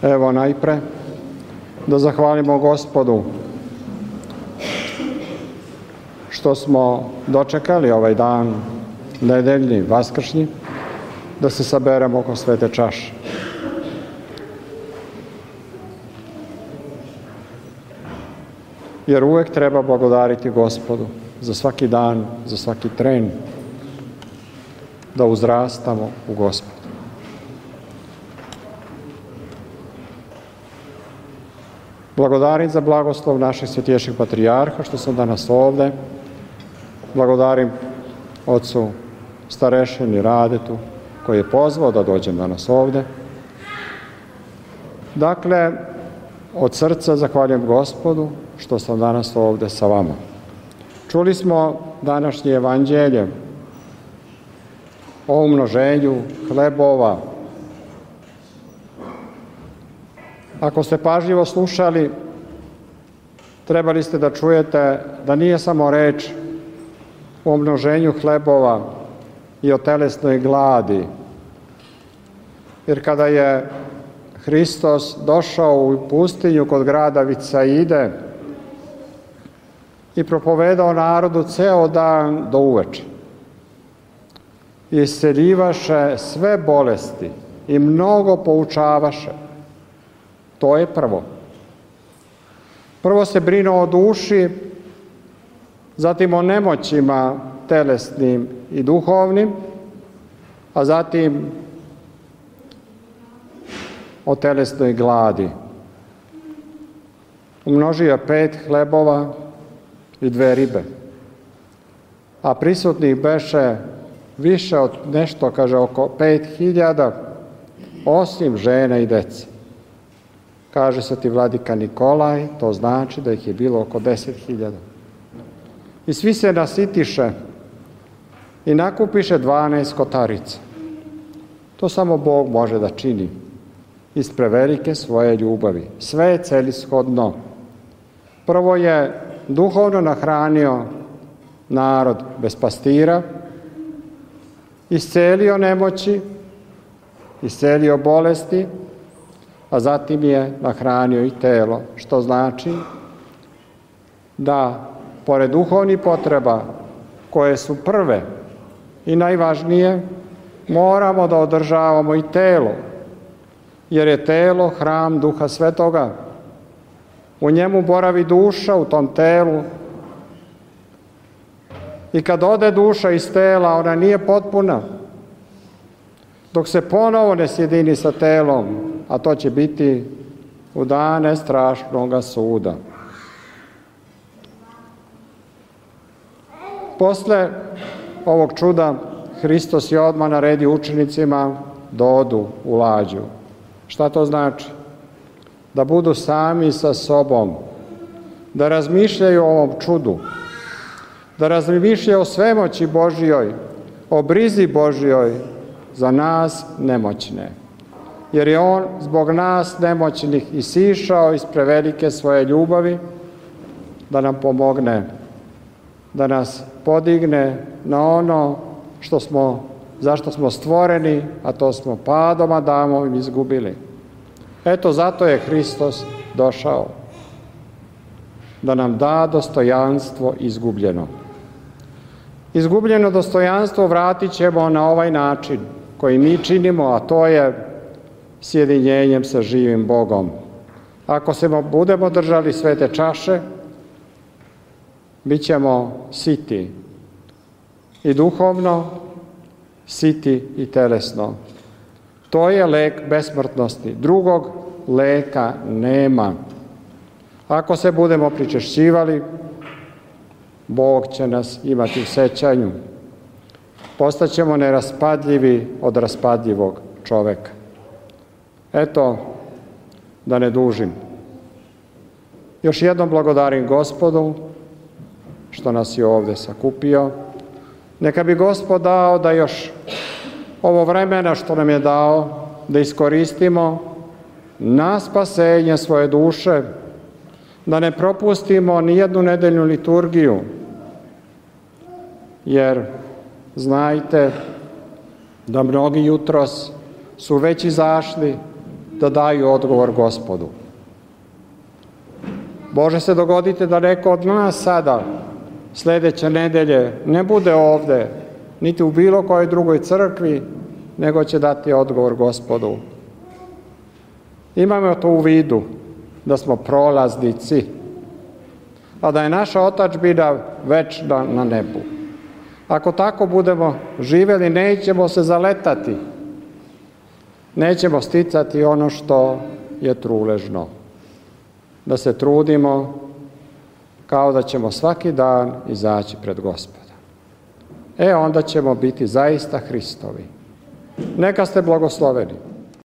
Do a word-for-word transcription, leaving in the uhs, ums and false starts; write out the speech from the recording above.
Evo najpre da zahvalimo Gospodu što smo dočekali ovaj dan nedeljni, vaskršnji, da se saberemo oko svete čaše. Jer uvek treba blagodariti Gospodu za svaki dan, za svaki tren, da uzrastamo u Gospodu. Blagodarim za blagoslov naših svetiješih patrijarha što sam danas ovde. Blagodarim ocu starešini Radetu koji je pozvao da dođem danas ovde. Dakle, od srca zahvaljujem Gospodu što sam danas ovde sa vama. Čuli smo današnje evanđelje o umnoženju hlebova. Ako ste pažljivo slušali, trebali ste da čujete da nije samo reč o umnoženju hlebova i o telesnoj gladi. Jer kada je Hristos došao u pustinju kod grada Vicaide i propovedao narodu ceo dan do uveče, isceljivaše sve bolesti i mnogo poučavaše. To je prvo. Prvo se brinuo o duši, zatim o nemoćima telesnim i duhovnim, a zatim o telesnoj gladi. Umnožio je pet hlebova i dve ribe, a prisutnih beše više od nešto, kaže, oko pet hiljada, osim žene i dece. Kaže sveti vladika Nikolaj, to znači da ih je bilo oko deset hiljada. I svi se nasitiše i nakupiše dvanaest kotarica. To samo Bog može da čini iz prevelike svoje ljubavi. Sve je celishodno. Prvo je duhovno nahranio narod bez pastira, iscelio nemoći, iscelio bolesti, a zatim je nahranio i telo, što znači da, pored duhovnih potreba, koje su prve i najvažnije, moramo da održavamo i telo, jer je telo hram Duha Svetoga. U njemu boravi duša, u tom telu. I kad ode duša iz tela, ona nije potpuna. Dok se ponovo ne sjedini sa telom, a to će biti u dane strašnoga suda. Posle ovog čuda, Hristos je odmah naredio učenicima da odu u lađu. Šta to znači? Da budu sami sa sobom, da razmišljaju o ovom čudu, da razmišljaju o svemoći Božjoj, o brizi Božjoj za nas nemoćne. Jer je On zbog nas nemoćnih isišao iz prevelike svoje ljubavi da nam pomogne, da nas podigne na ono što smo, zašto smo stvoreni, a to smo padom Adamovim izgubili. Eto, zato je Hristos došao, da nam da dostojanstvo izgubljeno. Izgubljeno dostojanstvo vratit ćemo na ovaj način koji mi činimo, a to je sjedinjenjem sa živim Bogom. Ako se budemo držali svete čaše, bit ćemo siti i duhovno, siti i telesno. To je lek besmrtnosti. Drugog leka nema. Ako se budemo pričešćivali, Bog će nas imati u sećanju. Postaćemo neraspadljivi od raspadljivog čoveka. Eto, da ne dužim. Još jednom blagodarim Gospodu što nas je ovde sakupio. Neka bi Gospod dao da još ovo vremena što nam je dao, da iskoristimo na spasenje svoje duše, da ne propustimo ni jednu nedeljnu liturgiju, jer znajte da mnogi jutros su već izašli da daju odgovor Gospodu. Može se dogoditi da neko od nas sada, sljedeće nedelje, ne bude ovde, niti u bilo kojoj drugoj crkvi, nego će dati odgovor Gospodu. Imamo to u vidu, da smo prolaznici, a da je naša otadžbina večna na nebu. Ako tako budemo živjeli, nećemo se zaletati, nećemo sticati ono što je truležno. Da se trudimo kao da ćemo svaki dan izaći pred Gospoda. E, onda ćemo biti zaista Hristovi. Neka ste blagosloveni.